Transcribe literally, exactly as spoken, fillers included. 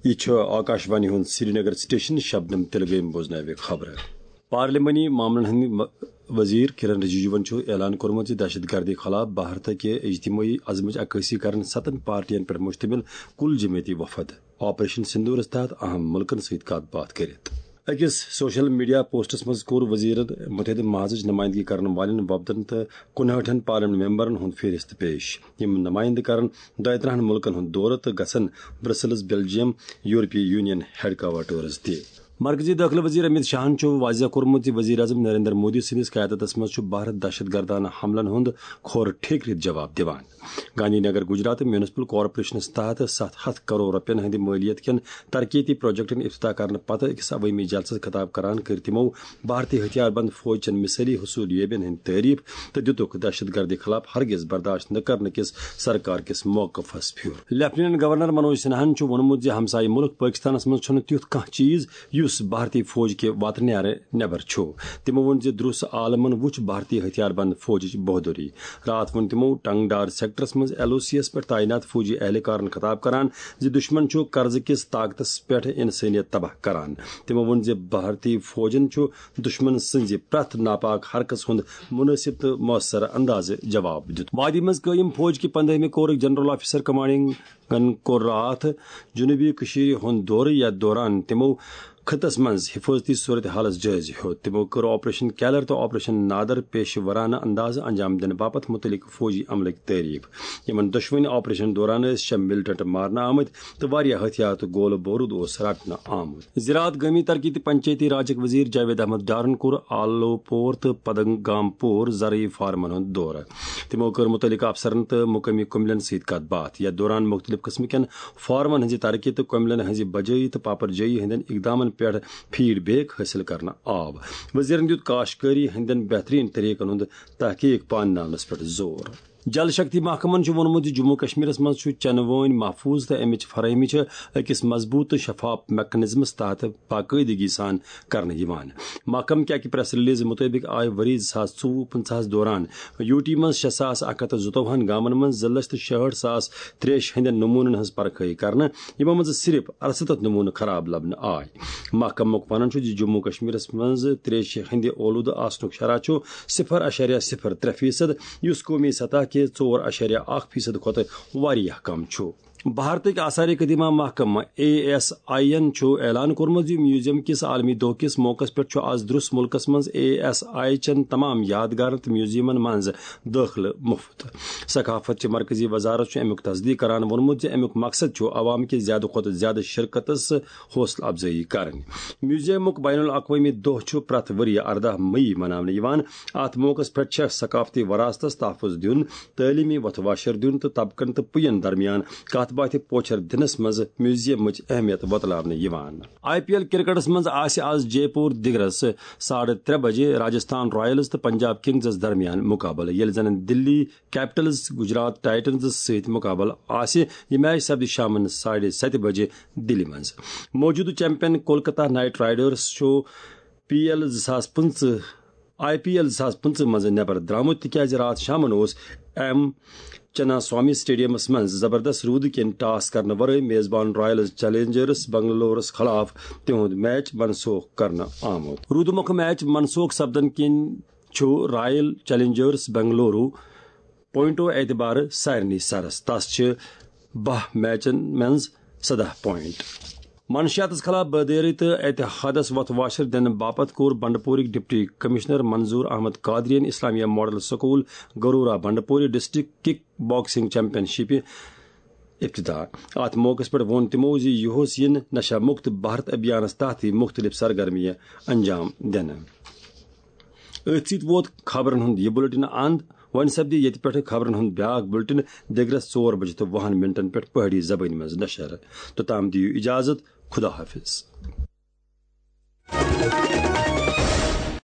یہِ چھُ آکاشوانی ہُنٛد سرینگر سٹیشن، شبنم تلگٲمۍ بوزناوِ خبرٕ۔ پارلیمانی معاملن ہٕنٛدۍ م-، وزیر کرن رجیجوَن چھُ اعلان کوٚرمُت زِ دہشت گردی خلاف بھارت کہِ اجتماعی عزمٕچ عکٲسی کرن ستن پارٹین پٮ۪ٹھ مشتمل کل جمٲعتی وفد آپریشن سندورس تحت اہم ملکن سۭتۍ کتھ باتھ کٔرِتھ۔ أکِس سوشل میڈیا پوسٹس منٛز کوٚر وزیرن متحدہ محاذٕچ نمائندگی کرن والٮ۪ن وفدن تہٕ کُنہٲٹھن پارلیمنٹ ممبرن ہُنٛد فہرست پیش۔ یِم نمائندٕ کرن دۄیہِ ترٕٛہن ملکن ہُنٛد دورٕ تہٕ گژھن برسلز، بیلجیم، یورپی یونین ہیڈ کوارٹرز تہِ۔ مرکزی دٲخلہٕ وزیر امیت شاہن چھُ واضح کوٚرمُت زِ وزیر اعظم نریندر مودی سٕنٛدِس قیادتس منٛز چھُ بھارت دہشت گردانہ حملن ہُنٛد کھۄر ٹھیک رِتھ جواب دِوان۔ گاندھی نگر گجرات میونسپل کارپوریشنس تحت ستھ ہتھ کرور رۄپین ہٕنٛدِ مٲلیت کٮ۪ن ترقیتی پروجیکٹن افتتاح کرنہٕ پتہٕ أکِس عوٲمی جلسس خطاب کران کٔرۍ تِمو بھارتی ہتھیار بند فوج چٮ۪ن مثٲلی حصولیابین ہٕنٛدۍ تعریف تہٕ دِتُکھ دہشت گردی خلاف ہرگز برداشت نہٕ کرنہٕ کِس سرکار کِس موقفس پھیُر۔ لیفٹیننٹ گورنر منوج سنہاہن چھُ ووٚنمُت زِ ہمسایہِ مُلک پٲکِستانَس منٛز چھُنہٕ تیُتھ کانٛہہ چیٖز یُس بھارتی فوج کہِ واتہٕ نیرٕ نٮ۪بر چھُ۔ تِمو ووٚن زِ درٛس عالمن وُچھ بھارتی ہتھیار بند فوجٕچ بہادری۔ راتھ ووٚن تِمو ٹنگڈار سیکٹرس منٛز ایل او سی یَس پٮ۪ٹھ تعینات فوجی اہلکارن خطاب کران زِ دشمن چھُ قرضہٕ کِس طاقتس پٮ۪ٹھ انسٲنیت تباہ کران۔ تِمو ووٚن زِ بھارتی فوجن چھُ دشمن سٕنٛزِ پرٛٮ۪تھ ناپاک حرکژ ہُنٛد مناسب تہٕ مؤثر اندازٕ جواب دیُت۔ وادی منٛز قٲیِم فوج کہِ پنداہمہِ کورٕکۍ جنرل آفیسر کمانڈنگن کوٚر راتھ جنوبی کٔشیٖرِ ہُنٛد دورٕ، یتھ دوران تِمو خطس منٛز حفاظتی صورت حالس جٲیزٕ ہیوٚت۔ تِمو کٔر آپریشن کیلر تہٕ آپریشن نادر پیشہٕ ورانہٕ اندازٕ انجام دِنہٕ باپتھ متعلق فوجی عملٕکۍ تعریف۔ یِمن دۄشوٕنی آپریشن دوران ٲسۍ شےٚ ملٹنٹ مارنہٕ آمٕتۍ تہٕ واریاہ ہتھیار تہٕ گولہٕ بوروٗد اوس رٹنہٕ آمُت۔ زراعت، گٲمی ترقی تہٕ پنچایتی راجٕکۍ وزیر جاوید احمد ڈارن کوٚر آلو پور تہٕ پدنگام پور زرعی فارمن ہُنٛد دورٕ۔ تِمو کٔر مُتعلقہٕ افسرن تہٕ مقٲمی کُملٮ۪ن سۭتۍ کتھ باتھ۔ یتھ دوران مُختٔلِف قٕسمہٕ کٮ۪ن فارمن ہٕنٛزِ ترقی تہٕ کُملٮ۪ن ہٕنٛزِ بجٲیی تہٕ پاپرجٲیی ہٕنٛدٮ۪ن اقدامن پٮ۪ٹھ فیڈ بیک حٲصِل کرنہٕ آو۔ وزیرن دیُت کاشتکٲری ہٕنٛدٮ۪ن بہترین طریقن ہُنٛد تحقیق پانناونس پٮ۪ٹھ زور۔ جل شکتی محکمن چھُ ووٚنمُت زِ جموں کشمیرس منٛز چھُ چنہٕ وٲنۍ محفوظ تہٕ امِچ فراہمی چھِ أکِس مضبوٗط تہٕ شفاف میکنزمس تحت باقٲعدگی سان کرنہٕ یِوان۔ محکمہٕ کہِ اکہِ پریس ریلیز مُطٲبِق آیہِ ؤری زٕ ساس ژوٚوُہ پٕنٛژٕہَس دوران یوٗ ٹی منٛز شےٚ ساس اکھ ہتھ تہٕ زٕتووُہن گامن منٛز زٕ لچھ تہٕ شُہٲٹھ ساس تریش ہٕنٛدٮ۪ن نموٗنن ہٕنٛز پرکھٲیی کرنہٕ، یِمو منٛز صرف ارستتھ نموٗنہٕ خراب لبنہٕ آے۔ محکمُک ونُن چھُ زِ جموں کشمیرس منٛز تریشہِ ہٕنٛدِ اولوٗدٕ آسنُک شرح چھُ صفر اعشاریہ صفر ترٛےٚ فیصد، یُس قومی سطح کہِ ژور اعشاریہ اکھ فیصد کھۄتہٕ واریاہ کم چھُ۔ بھارتٕکۍ آثار قدیمہ محکمہٕ اے ایس آئی یَن چھُ اعلان کوٚرمُت زِ میوزیم کِس عالمی دۄہ کِس موقعس پٮ۪ٹھ چھُ آز درٛس مُلکَس منٛز اے ایس آئی چٮ۪ن تمام یادگارن تہٕ میوزیمن منٛز دٲخلہٕ مُفت۔ ثقافت چہِ مرکزی وزارت چھُ اَمیُک تصدیق کران ووٚنمُت زِ اَمیُک مقصد چھُ عوام کہِ زیادٕ کھۄتہٕ زیادٕ شرکتس حوصلہٕ افزٲیی کرٕنۍ۔ میوزیمُک بین الاقوٲمی دۄہ چھُ پرٛٮ۪تھ ؤرۍ یہِ ارداہ مئی مناونہٕ یِوان۔ اَتھ موقعس پٮ۪ٹھ چھےٚ ثقافتی وراثتس تحفظ دیُن، تعلیمی وتھ واشر دیُن تہٕ طبقن تہٕ پُین درمیان کتھ باتھِ پوچھر دِنس منٛز میوزیمٕچ اہمیت وۄتلاونہٕ یِوان۔ آئی پی ایل کرکٹس منٛز آسہِ آز جے پور دِگرس ساڑٕ ترٛےٚ بجے راجستھان رائلز تہٕ پنجاب کنگزس درمیان مقابلہٕ، ییٚلہِ زن دِلی کیپٹلز گجرات ٹائٹنزس سۭتۍ مقابلہٕ آسہِ۔ یہِ میچ سپدِ شامن ساڑِ ستہِ بجے دِلہِ منٛز۔ موجودٕ چیمپین کولکتہ نائٹ رائیڈرز چھُ پی ایل زٕ ساس پٕنٛژٕہ، آئی پی ایل زٕ ساس پٕنٛژٕہ منٛز نٮ۪بر درٛامُت، تِکیازِ راتھ شامن اوس ایم چنا سوامی سٹیڈیمس منٛز زبردست روٗدٕ کِنۍ ٹاس کرنہٕ ورٲے میزبان رائل چیلنجرز بنگلورس خلاف تِہُنٛد میچ منسوخ کرنہٕ آمُت۔ روٗدٕ مۄکھٕ میچ منسوخ سپدن کِنۍ چھُ رائل چیلنجرز بنگلورو پوائنٹو اعتبارٕ سارنٕے سرس۔ تس چھِ باہ میچن منٛز سداہ پوائنٹ۔ منشیاتس خلاف بیدٲری تہٕ اتحادس وتھ واشر دِنہٕ باپتھ کوٚر بنڈپورٕکۍ ڈپٹی کمشنر منظور احمد قادرین اسلامیہ ماڈل سکول گرورا بنڈپوری ڈسٹرکٹ کک باکسنگ چیمپین شپہِ افتتاح۔ اتھ موقعس پٮ۪ٹھ ووٚن تِمو زِ یُہُس یِن نشہ مکت بھارت ابھیانس تحت مختلف سرگرمیہِ انجام دِنہٕ۔ أتھۍ سۭتۍ ووت خبرن ہُنٛد یہِ بُلٹن اند۔ وۄنۍ سپدِ ییٚتہِ پٮ۪ٹھٕ خبرن ہُنٛد بیٛاکھ بُلٹن دِگرس ژور بجہِ تہٕ وُہن منٹن پٮ۪ٹھ پہٲڑی زبٲنۍ منٛز نشر۔ توٚتام دِیِو اجازت، خدا حافظ۔